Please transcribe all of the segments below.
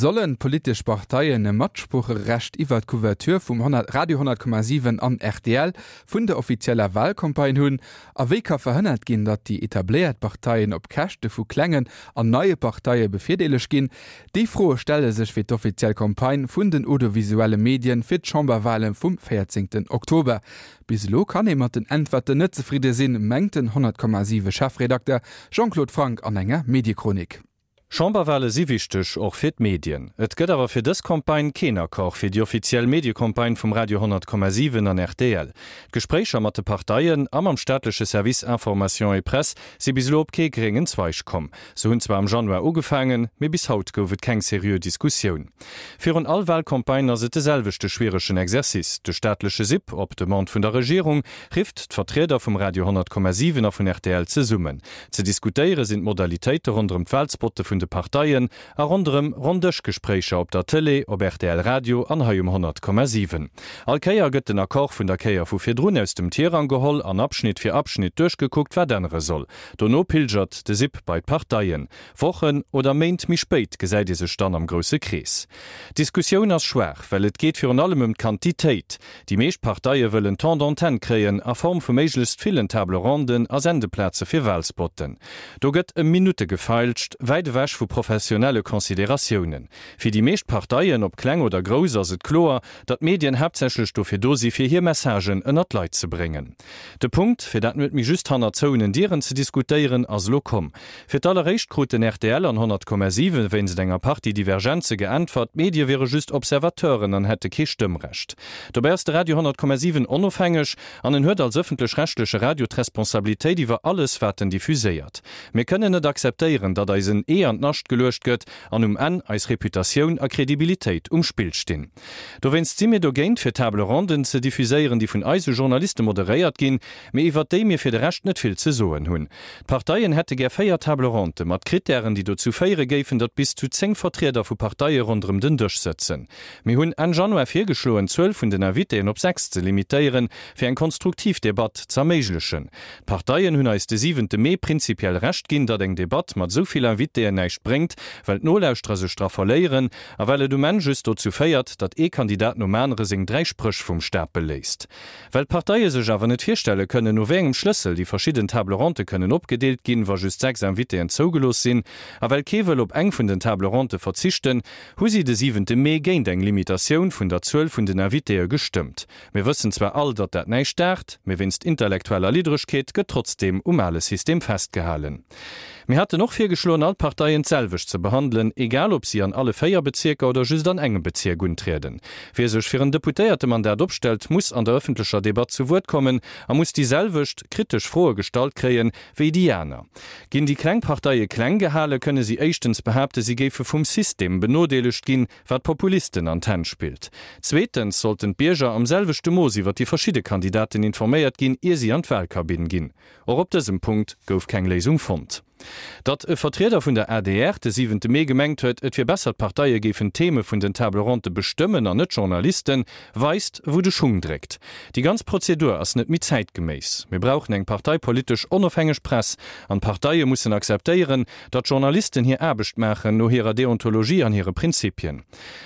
Sollen d'politesch Parteien e Matsproocherecht iwwer d'Couverture vum Radio 100,7 an rtl vun der offizieller Walcampagne hunn? A wéi ka verhënnert ginn, datt déi etabléiert Parteien op Käschte vu klengen an neie Parteie bevirdeelegt ginn? Déi Froe stelle sech fir d'offiziell Campagne vun den audiovisuelle Medien fir d'Chamberwale vum 14 Oktober. Bis elo kann ee mat den Äntwerten net zefridde sinn, mengt den 100,7 Chefredakter Jean-Claude Franck an enger Mediechronik. Chamberwale si wichteg, och fir d'Medien. Et gëtt awer fir dës Campagne keen Accord fir déi offiziell Mediecampagne vum Radio 100,7 an rtl. D'Gespréicher mat de Parteien a mam staatleche Service Information et Presse si bis elo op kee gréngen Zweig komm. Se hunn zwar am Januar ugefaangen, mee bis haut gouf et keng seriö Diskussioun. Virun all Walcampagne ass et de selwechte schwieregen Exercice. De staatleche SIP, op Demande vun der Regierung, rifft d'Vertrieder vum Radio 100,7 a vun rtl zesummen. Ze diskutéiere sinn d'Modalitéite ronderëm d'Walspotte vun de Parteien a ronderëm Ronndëschgespréicher op der Tëlee, op rtl Radio an hei um 100,7. All Kéier gëtt den Accord vun der Kéier vu virdrun aus dem Tirang geholl an Abschnitt fir Abschnitt duerchgekuckt, wat ännere soll. Dono pilgert de SIP bei d'Parteien. Wochen oder Méint méi spéit gesäit ee sech dann am grousse Krees. D'Diskussioun ass schwaach, well et geet virun allem ëm d'Quantitéit. Déi meescht Parteie wëllen Temps d'antenne kréien a Form vu méiglechst villen Table ronden a Sendeplaze fir Walspotten. Do gëtt ëm Minutte gefeilscht, wäit ewech vu professionelle Consideratiounen. Fir déi meescht Parteien, ob kleng oder grouss, ass et kloer, datt d'Medien haaptsächlech dofir do si fir hir Messagen ënnert d'Leit ze bréngen. De Punkt, fir dat net méi just hanner zouenen Dieren ze diskutéieren, ass elo komm. Fir d'alleréischt kruten rtl an 100,7 wéinst enger Partie Divergenze geäntwert, d'Medie wiere just Observateuren an hätte kee Stëmmrecht. Dobäi ass de Radio 100,7 onofhängeg an en huet als ëffentlech-rechtleche Radio d'Responsabilitéit iwwer alles, wat en diffuséiert. Mir kënnen net akzeptéieren, datt eis en Ee an d'Nascht geluecht gëtt an um Enn eis Reputatioun a Kredibilitéit um Spill stinn. Dowéinst si mir dogéint, fir Table ronden ze diffuséieren, déi vun eise Journaliste moderéiert ginn, mee iwwert déi mir fir de Rescht net vill ze soen hunn. D'Parteien hätte gär 4 Table ronde mat Krittären, déi dozou féiere géifen, datt bis zu 10 Vertrieder vu Parteie ronderëm den Dësch sëtzen. Mir hunn Enn Januar virgeschloen, d'Zuel vun den Invitéen op 6 ze limitéieren, fir eng konstruktiv Debatt z'erméiglechen. D'Parteien hunn eis de siwente Mee prinzipiell Recht ginn, datt eng Debatt mat esou vill Invitéen näischt bréngt, well d'Nolauschterer sech dra verléieren a well et um Enn just dozou féiert, datt ee Kandidat nom anere seng 3 Spréch vum Stapel léisst. Well d'Parteie sech awer net virstelle kënnen, no wéi engem Schlëssel déi verschidden Table ronde kënnen opgedeelt ginn, wa just 6 Invitéen zougelooss sinn, a well kee wëll op eng vun den Table ronde verzichten, hu si de siwente Mee géint eng Limitatioun vun der Zuel vun den Invitéë gestëmmt. Mir wëssen zwar all, datt dat näischt daacht, mee wéinst intellektueller Liddregkeet gëtt trotzdeem um ale System festgehalen. Mir haten och virgeschloen, all d'Parteien d'selwecht ze behandelen, egal ob si an alle 4 Bezierker oder just an engem Bezierk untrieden. Wie sech fir en Deputéiertemandat opstellt, muss an der ëffentlecher Debatt zu Wuert kommen a muss déi selwecht kritesch Froe gestallt kréien, wéi déi aner. Ginn déi kleng Parteie kleng gehale, kënne si éischtens behaapte, si géife vum System benodeelegt ginn, wat Populisten an d'Hänn spillt. Zweetens sollten d'Bierger am selwechte Mooss iwwer déi verschidde Kandidaten informéiert ginn, ier si an d'Walkabinn ginn. Och op dësem Punkt gouf keng Léisung fonnt. Datt e Vertrieder vun der adr de siwente Mee gemengt huet, et wier besser d'Parteie géifen d'Theme vun den Table ronde bestëmmen an net d'Journalisten, weist wou de Schung dréckt. Déi ganz Prozedur ass net méi zäitgeméiss. Mir brauchen eng parteipolitesch onofhängeg Press an d'Parteie mussen akzeptéieren, datt d'Journalisten hir Aarbecht maachen no hirer Deontologie an hire Prinzipien.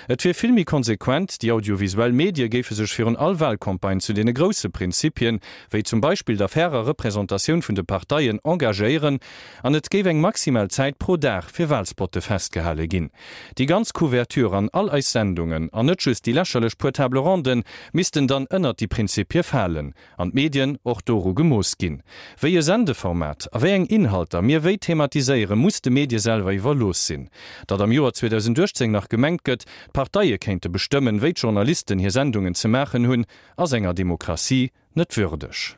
Et wier vill méi konsequent, déi audiovisuell Medie géife sech virun all Wahlcampagne zu deene grousse Prinzipien, wéi zum Beispill der fairer Representatioun vun de Parteien, engagéieren an et géif eng maximal Zäit pro Dag fir Wahlspotte festgehale ginn. Déi ganz Couverture an all eis Sendungen, an net just déi lächerlech puer Table ronden, missten dann ënnert déi Prinzipie falen an d'Medien och doru gemooss ginn. Wéi e Sendeformat a wéi eng Inhalter mir wéi thematiséieren, muss de Medie selwer iwwerlooss sinn. Datt am Joer 2018 nach gemengt gëtt, d'Parteie kéinte bestëmmen, wéi d'Journalisten hir Sendungen ze maachen hunn, ass enger Demokratie net würdeg.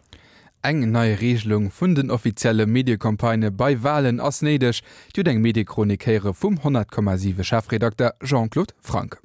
Eng nei Regelung vun den offizielle Mediecampagnë bei Walen ass néideg, Dir hutt eng Mediechronik héiere vum 100,7 Chefredakter Jean-Claude Franck.